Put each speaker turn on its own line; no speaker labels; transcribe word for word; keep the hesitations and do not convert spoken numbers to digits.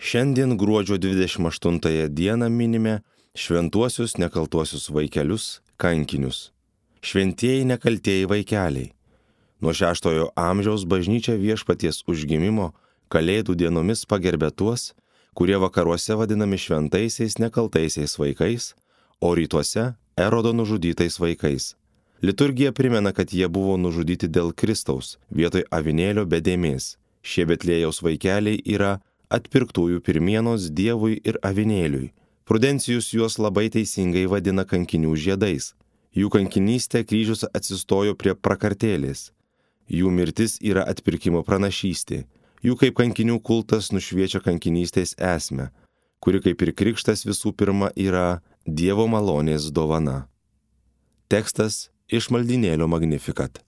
Šiandien gruodžio dvidešimt aštuntąją dieną minime šventuosius nekaltuosius vaikelius, kankinius. Šventieji nekaltieji vaikeliai. Nuo šeštojo amžiaus bažnyčia Viešpaties užgimimo Kalėdų dienomis pagerbė tuos, kurie vakaruose vadinami šventaisiais nekaltaisiais vaikais, o rytuose Erodo nužudytais vaikais. Liturgija primena, kad jie buvo nužudyti dėl Kristaus, vietoj avinėlio be dėmės. Šie Betliejaus vaikeliai yra atpirktųjų pirmienos Dievui ir avinėliui. Prudencijus juos labai teisingai vadina kankinių žiedais. Jų kankinystė kryžius atsistojo prie prakartėlės. Jų mirtis yra atpirkimo pranašystė. Jų kaip kankinių kultas nušviečia kankinystės esmę, kuri kaip ir krikštas visų pirma yra Dievo malonės dovana. Tekstas iš maldynėlio Magnificat.